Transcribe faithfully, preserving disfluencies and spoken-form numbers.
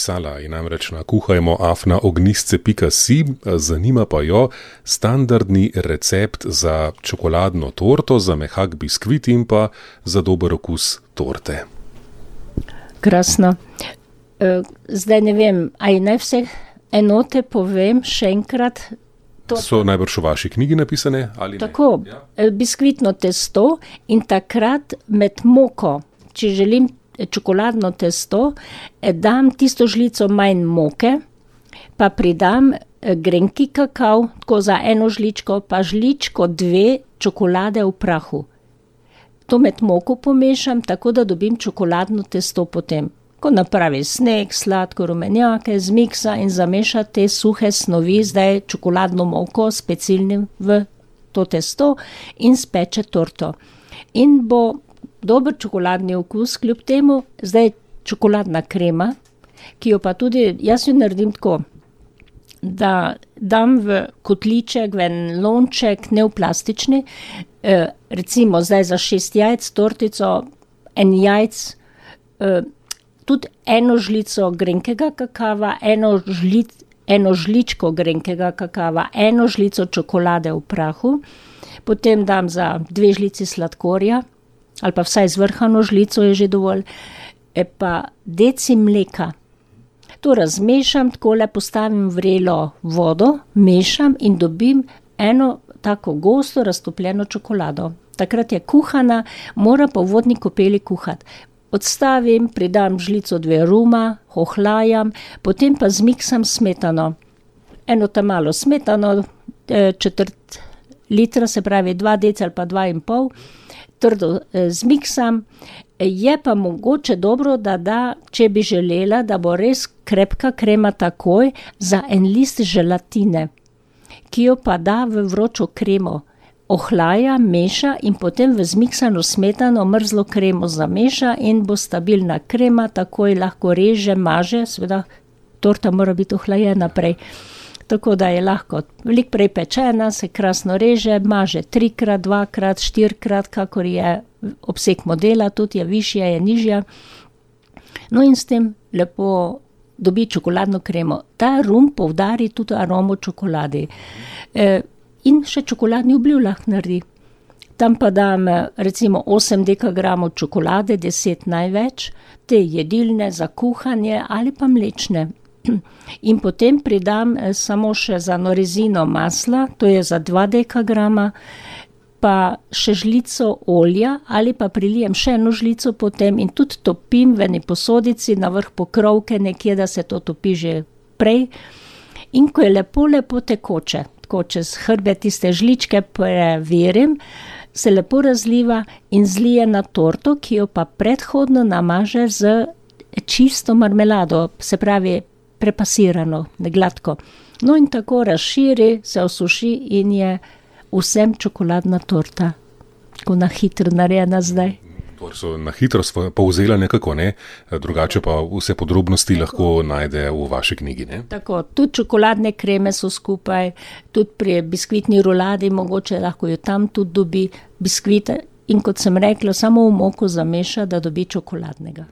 napisala in namreč na kuhajmo afna ognjisce pika si, zanima pa jo standardni recept za čokoladno torto, za mehak biskvit in pa za dober okus torte. Krasno. Zdaj ne vem, aj naj vse enote povem še enkrat. To so najbrž v vaši knjigi napisane? Ali tako, ja. Biskvitno testo in takrat med moko, če želim čokoladno testo, dam tisto žlico manj moke, pa pridam grenki kakav, tako za eno žličko, pa žličko dve čokolade v prahu. To med moko pomešam, tako da dobim čokoladno testo potem. Ko napravi sneg, sladko, rumenjake, zmiksa in zameša te suhe snovi, zdaj čokoladno moko specialnim v to testo in speče torto. In bo dober čokoladni okus, kljub temu zdaj čokoladna krema, ki jo pa tudi, jaz jo naredim tako, da dam v kotliček, v en lonček, ne v plastični, eh, recimo zdaj za šest jajc tortico, en jajc, eh, tudi eno žlico grenkega kakava, eno, žlic, eno žličko grenkega kakava, eno žlico čokolade v prahu, potem dam za dve žlici sladkorja, ali pa vsaj zvrhano žlico je že dovolj, e pa deci mleka. To razmešam, takole postavim vrelo vodo, mešam in dobim eno tako gosto raztopljeno čokolado. Takrat je kuhana, mora pa v vodni kopeli kuhati. Odstavim, pridam žlico dve ruma, ohlajam, potem pa zmiksam smetano. Eno ta malo smetano, četrt litra, se pravi dva deci ali pa dva in pol, trdo zmiksam. Je pa mogoče dobro, da da, če bi želela, da bo res krepka krema takoj, za en list želatine, ki jo pa da v vročo kremo. Ohlaja, meša in potem v zmiksano smetano mrzlo kremo zameša in bo stabilna krema, takoj lahko reže, maže, seveda torta mora biti ohlajena prej, tako da je lahko veliko prej pečena, se krasno reže, maže trikrat, dvakrat, štirikrat, kakor je obseg modela, tudi je višja, je nižja. No in s tem lepo dobi čokoladno kremo. Ta rum poudari tudi aromo čokoladi. E, In še čokoladni obliv lahko naredi. Tam pa dam recimo osem dekagramov čokolade, deset največ, te jedilne za kuhanje ali pa mlečne. In potem pridam samo še za norezino masla, to je za dva dekagrama, pa še žlico olja ali pa prilijem še eno žlico potem in tudi topim v eni posodici na vrh pokrovke nekje, da se to topi že prej. In ko je lepo, lepo tekoče, ko čez hrbe tiste žličke preverim, se lepo razliva in zlije na torto, ki jo pa predhodno namaže z čisto marmelado, se pravi prepasirano, gladko. No in tako razširi, se osuši in je vsem čokoladna torta, ko na hitro narejena zdaj. So na hitro povzela nekako, ne? Drugače pa vse podrobnosti tako lahko najde v vaši knjigi. Ne? Tako, tudi čokoladne kreme so skupaj, tudi pri biskvitni ruladi mogoče lahko jo tam tudi dobi biskvite in kot sem rekla, samo v moku zameša, da dobi čokoladnega.